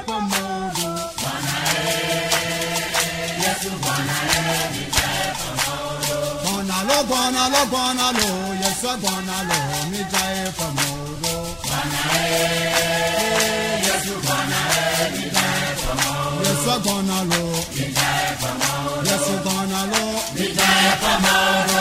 fɔmɔdo. Gbɔna lo gbɔna lo gbɔna lo Yesu gbɔna lo mi dza ye fɔmɔdo. Yesu gbɔna lo. Yesu gbɔna lo. Mi dza ye fɔmɔdo. Yesu gbɔna lo. Yesu gbɔna lo. Mi dza ye fɔmɔdo.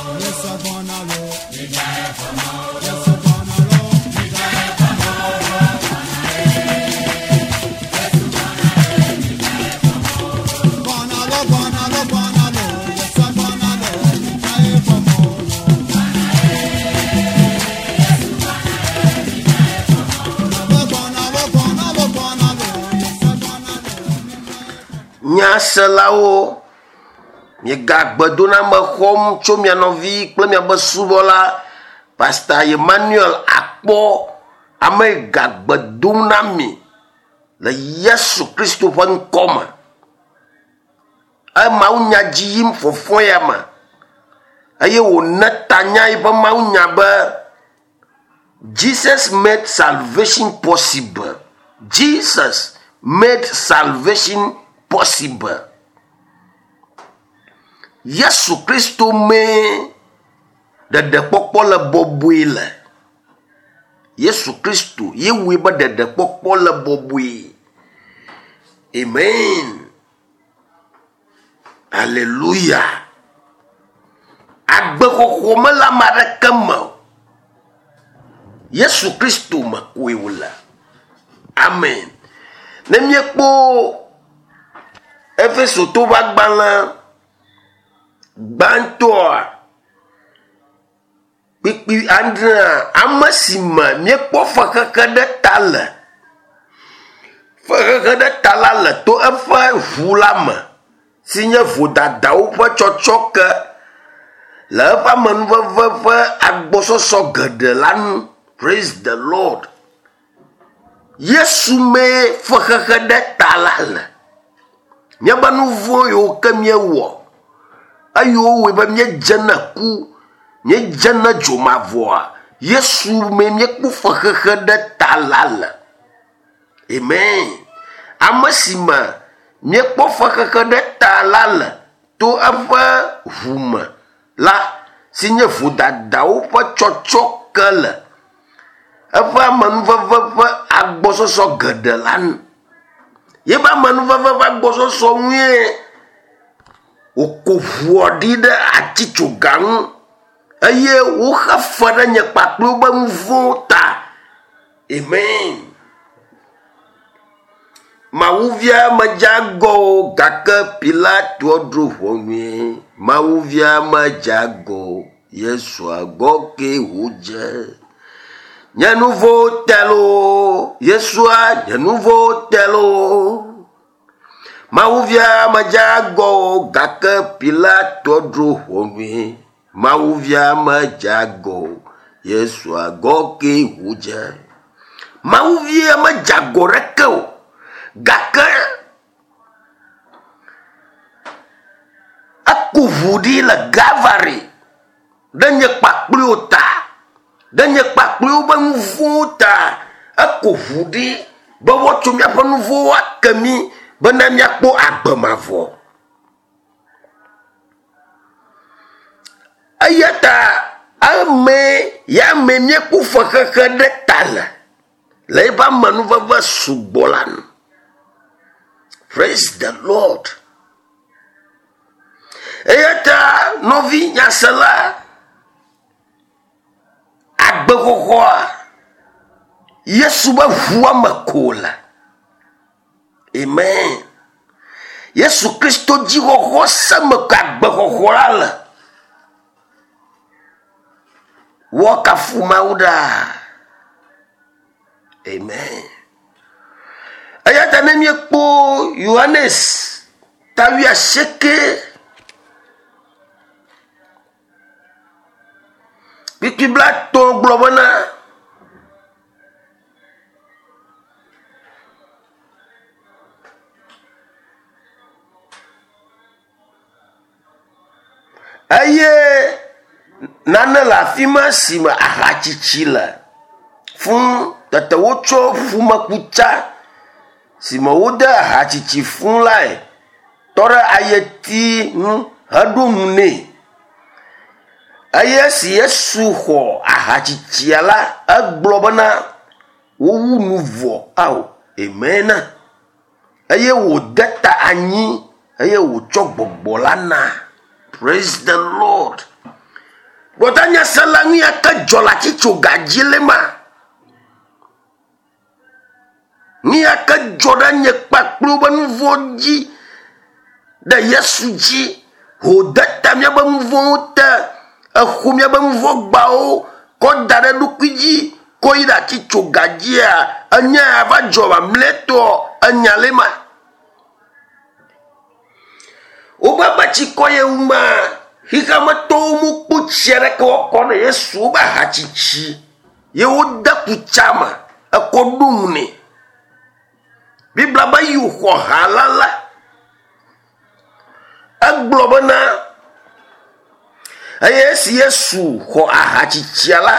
Gbɔna lo gbɔna lo gbɔna lo Yesu gbɔna lo mi dza ye fɔmɔdo. Gbɔna lo gbɔna lo gbɔna lo Yesu gbɔna lo mi dza ye fɔmɔdo. Nyaselawo, miegagbe doname xɔm tso mia nɔvi kple miabe subɔla Pastor Emmanuel Akpɔ ame yi gagbe dom na mi le Yesu Kristo ƒe ŋkɔ me. Emawunya dzi yim fɔfɔ ya me eye wòne tanya yiƒe mawunya be Jesus made salvation possible. Jesus made salvation possible. Yesu Kristo mee ɖeɖekpɔkpɔ le bɔbɔe le. Yesu Kristo ye wɔe be ɖeɖekpɔkpɔ le bɔbɔe. Amen. Hallelujah. Agbexɔxɔ mele ame aɖeke me o. Yesu Kristo me koe wòle. Amen. Ne míekpɔ Efesotowo ƒe agbalẽ gbãtɔa kpukpui adrea, ame si me míekpɔ fexexe ɖe ta le. Fexexe ɖe ta la le to eƒe ʋu la me si nye vodadawo ƒe tsɔtsɔke le eƒe amenuveve ƒe agbɔsɔsɔ geɖe la nu. Praise the Lord. Yesu mee fexexe ɖe ta la le. Míaƒe nu vɔ̃ yiwo ke míewɔ eye wowɔe be míedze na ku, míedze na dzomavɔa, Yesu mee míekpɔ fexexe ɖe ta la le. Amen. Ame si me míekpɔ fexexe ɖe ta la le to eƒe ʋu me la si nye vodadawo ƒe tsɔtsɔke le eƒe amenuveve ƒe agbɔsɔsɔ geɖe la nu. Yeƒe amenuveve ƒe agbɔsɔsɔ ŋue wòko ʋua ɖi ɖe atitsoga ŋu eye woxe fe ɖe nye kpakple wobe nu vɔ̃wo ta. Amen. Mawuvia medze agɔ o gake Pilatoa dro ʋɔnue. Mawuvia medze agɔ o. Yesu agɔ kee wòdze. Nye nu vɔ̃wo te loo, Yesua nye nu vɔ̃wo te loo. Mawuvia medze agɔ o gake Pilatoa dro ʋɔnue. Mawuvia medze agɔ o. Yesu agɔ kee wòdze. Mawuvia medze agɔ ɖeke o gake eku ʋu ɖi le Galvary ɖe nye kpakpliwo ta, ɖe nye kpakpliwo be nu vɔ̃wo ta. Eku ʋu ɖi be woatsɔ míaƒe nu vɔ̃wo ake mí bena míakpɔ agbe mavɔ. Eya ta ame ya me míekpɔ fexexe ɖe ta le le eƒe amenuveve sugbɔ la nu. Praise the Lord. Eya ta nɔvi nyasela agbexɔxɔa Yesu be ʋua me ko le. Amen. Yesu Kristo dzixɔxɔ se me ko agbexɔxɔ la le. Woakafu Mawu ɖaa. Amen. Eya ta ne míekpɔ Yohanes ta wuiasieke kpukpui blatɔ̃ gblɔ bena eye nane le afi ma si me ahatsitsi le. Fũ tete wotsɔ ƒumekutsa si me wode aha tsitsi fũ lae tɔ ɖe ayeti ŋu heɖo nu nɛ. Eye esi Yesu xɔ aha tsitsia la, egblɔ bena wowu nu vɔ ao. Amen. Eye wòde ta anyi eye wòtsɔ gbɔgbɔ la na. Praise the Lord. Gbɔdanyasela nu ya ke dzɔ le atitsoga dzi le ma. Nu ya ke dzɔ ɖe nye kpakple woƒe nu vɔ̃ dzi ɖe Yesu dzi. Wòde ta míaƒe nu vɔ̃wo te. Exo míaƒe nu vɔ̃ gbawo kɔ da ɖe eɖokui dzi kɔ yi ɖe atitsoga dzia. Enya ya va dzɔ mamlɛtɔ enya le ma. Woƒe be tsikɔ ye wu ma, xexeametɔwo mekpɔ tsi aɖeke woakɔ na Yesu wobe ahatsitsi ye wode kutsa me ekɔ ɖo nu nɛ. Biblia be yi wòxɔ ha la la, egblɔ bena eye esi Yesu xɔ ahatsitsia la,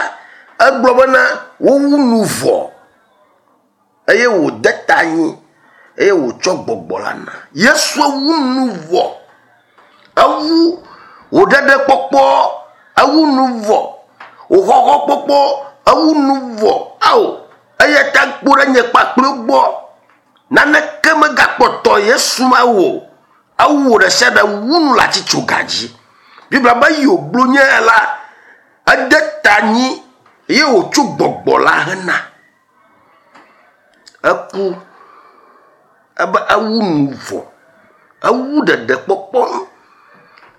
egblɔ bena wowu nu vɔ. Eye wòde ta anyi eye wòtsɔ gbɔgbɔ la na. Yesu wu nu vɔ. Ewu wò ɖeɖekpɔkpɔ, ewu nu vɔ. Wò xɔxɔkpɔkpɔ, ewu nu vɔ. Ao, eya ta kpo ɖe nye kpakple gbɔ. Naneke megakpɔtɔ Yesu ma wò o. Ewu wò ɖe sia ɖe wu nu le atitsoga dzi. Biblia be yi wògblɔ nye la, ede ta anyi eye wòtsɔ gbɔgbɔ la hena. Eku ebe ewu nu vɔ, ewu ɖeɖekpɔkpɔ nu,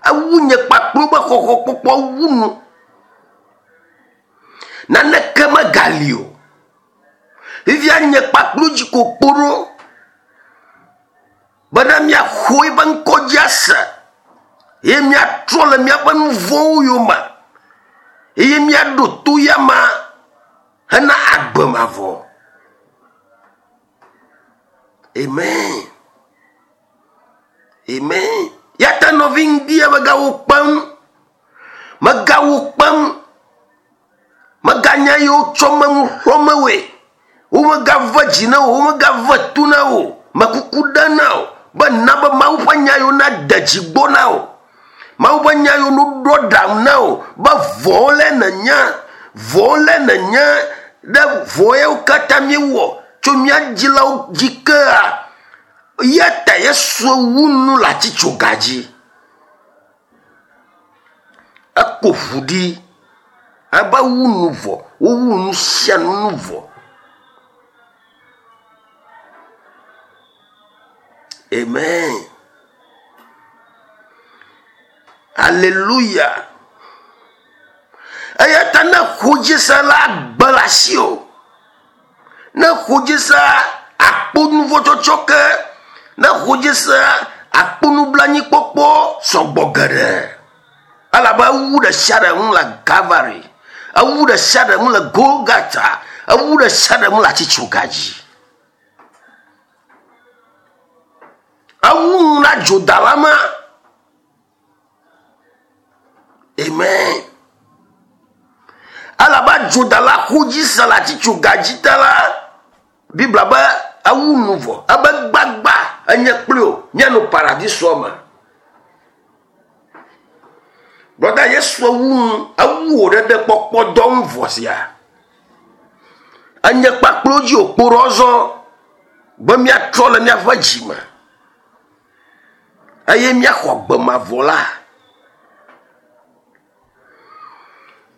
ewu nye kpakple wobe xɔxɔkpɔkpɔ wu nu. Naneke megali o. Fifia nye kpakple dzi ko kpo ɖo bena míaxɔ eƒe ŋkɔ dzi ase eye míatrɔ le míaƒe nu vɔ̃wo yome eye míaɖo to ya ma. Hena agbe mavɔ. Amen. Amen. Ya ta nɔvi ŋdia megawo kpem. Megawo kpem. Meganya yi wotsɔ me nu xlɔ̃mewoe. Womegave dzi na wò, womegave to na wò. Mekuku ɖe na wò be na be Mawu ƒe nya yiwo nade dzi gbɔ na wò. Mawu ƒe nya yiwo ɖo ɖaŋu na wò be vɔ̃wo lé nènya, vɔ̃wo lé nènya ɖe vɔ̃ yawo katã míewɔ tso mía dzilawo dzi kea, eya ta Yesu wu nu le atitsoga dzi. Eko ʋu ɖi ebe wu nu vɔ, wowu nu sia nu nu vɔ. Amen. Aleluya. Eya ta ne ƒudzise la agbe le asiwò, ne ƒudzise akpɔ nuvɔ̃tsɔtsɔ ke, ne ƒudzise akpɔ nublanuikpɔkpɔ sɔgbɔ geɖe. Elabe ewu ɖe sia ɖe ŋu le Kalvari, ewu ɖe sia ɖe ŋu le Golgata, ewu ɖe sia ɖe ŋu le atitsoga dzi. Ewu nu na dzodala ma. Amen. Elabe dzodala xo dzi se le atitsoga dzi ta la, Biblia be ewu nu vɔ. Ebe gbagba enye kpli o míanɔ paradisoa me. Brɔda Yesu ewu nu, ewu wò ɖeɖekpɔkpɔ dɔ ŋu vɔ sia. Enye kpakple dzi wòkpo ɖe zɔ be míatrɔ le míaƒe dzi me eye míaxɔ agbe mavɔ la.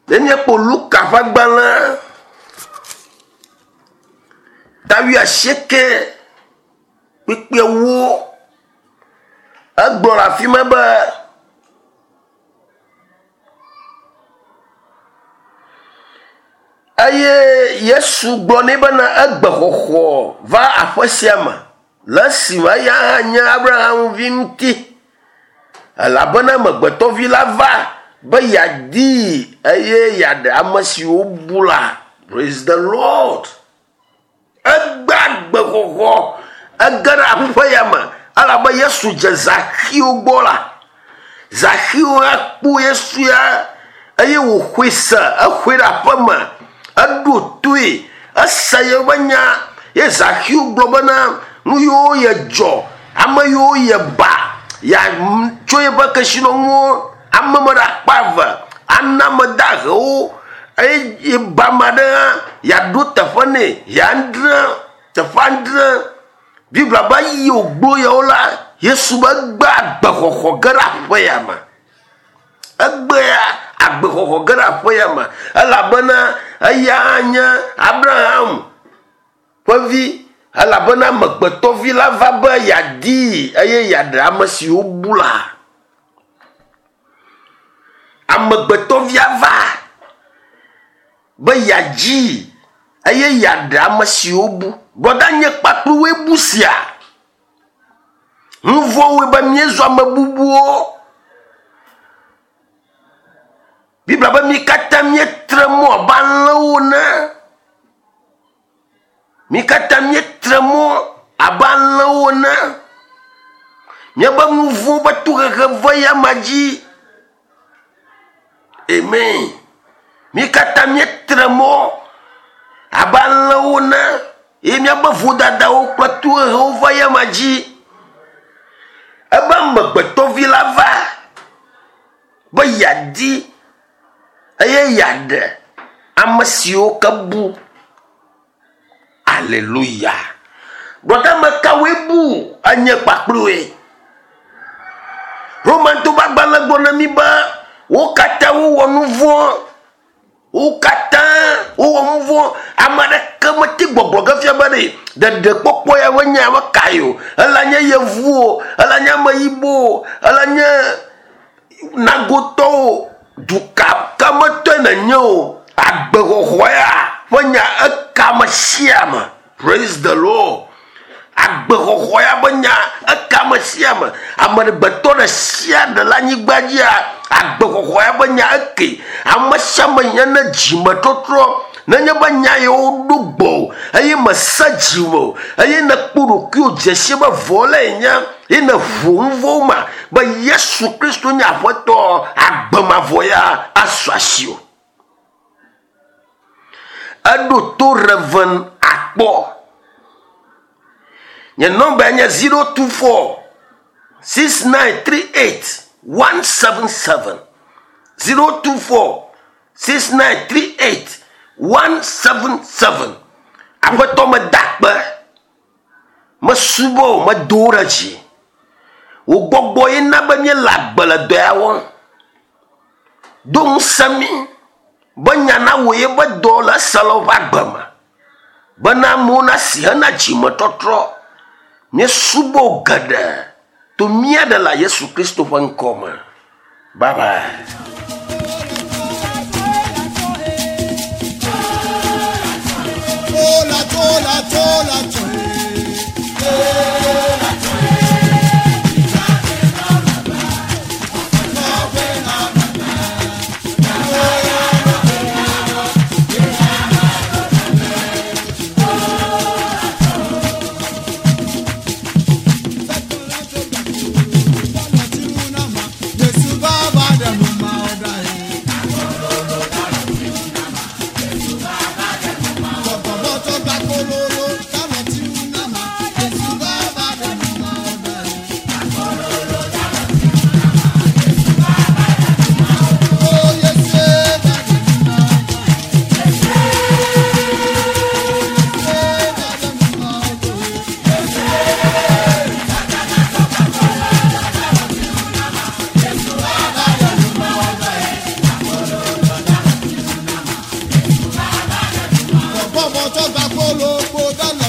Ne míekpɔ Luka ƒe agbalẽ ta wuiasieke kpukpuiawo, egblɔ le afi ma be. Eye Yesu gblɔ nɛ bena egbe xɔxɔ va aƒe sia me le esime eya hã nye Abraham vi ŋuti. Elabena amegbetɔvi la va be yeadii eye yeaɖe ame siwo bu la. Praise the Lord. Egbe agbexɔxɔ, ege ɖe aƒe ya me elabe Yesu dze Zaxeo gbɔ la, Zaxeo hã kpɔ Yesu ya eye wòxɔe se, exɔe ɖe aƒe me, eɖo toe. Ese yeƒe nya ye Zaxeo gblɔ bena nu yiwo yedzɔ, ame yiwo yeba, yeatso yeƒe kesinɔnuwo ame me ɖe akpa eve, ana ame dahewo eye yeba ame aɖe hã yeaɖo teƒe nɛ yeadre teƒe adre. Biblia be eyi wògblɔ yawo la, Yesu be egbe agbexɔxɔ ge ɖe aƒe ya me. Egbea agbexɔxɔ ge ɖe aƒe ya me elabena eya hã nye Abraham ƒe vi elabena amegbetɔvi la va be yeadii eye yeaɖe ame siwo bu la. Amegbetɔvia va be yeadzii eye yeaɖe ame siwo bu. Brɔda nye kpakpluwoe bu sia. Nu vɔ̃ wɔe be míezu ame bubuwo. Biblia be mí katã míetre mɔ abe alẽwo ene. Mí katã míetre mɔ abe alẽwo ene. Míaƒe nu vɔ̃ ƒe tohehe ve eyama dzi. Amen. Mí katã míetre mɔ abe alẽwo ene eye míaƒe vodadawo kple tohehewo va eyama dzi. Ebe amegbetɔvi la va be yeadi eye yeaɖe ame siwo ke bu. Aleluya. Gbɔdɔ ame kawoe bu enye kpakploe? Romanto ƒe agbalẽ gblɔ na mí be wo katã wowɔ nu vɔ̃. Wo katã wowɔ nu vɔ̃. Ame aɖeke mete gbɔgblɔ ge fia be ɖe ɖeɖekpɔkpɔ ya ƒe nya meka ye o. Ela nye yevu o, ela nye ameyibɔ o, ela nye nagotɔwo, duka ka me tɔe nènye o, agbexɔxɔ ya ƒe nya eka ame sia ame. Praise the Lord. Agbexɔxɔ ya ƒe nya eka ame sia ame. Amegbetɔ ɖe sia ɖe le anyigba dzia, agbexɔxɔ ya ƒe nya eke. Ame sia ame hiã ne dzimetɔtrɔ. Nenye be nya yewo ɖo gbɔwò eye mèse dzime o eye nèkpɔ ɖokuiwò dze si be vɔ lae nye ye nèʋu nu vɔ̃wo me be Yesu Kristo nye Aƒetɔ, agbe mavɔ ya asu asiwò. Eɖo to Rev. Akpɔ. Nye nɔmbae nye 024 6938 177. 024 6938 177. Aƒetɔ meda akpe, mesubɔ wò, medo wò ɖe dzi. Wò gbɔgbɔ ye na be míele agbe le dɔ ya wɔm. Do ŋusẽ mí be nya nawɔ yeƒe dɔ le eselawo ƒe agbe me bena amewo nasi hena dzimetɔtrɔ. Míesubɔ wò geɖe to mía Ɖela Yesu Kristo ƒe ŋkɔ me. Bye bye. Bọ́bọ̀ tó gbà kó ló kó dáná.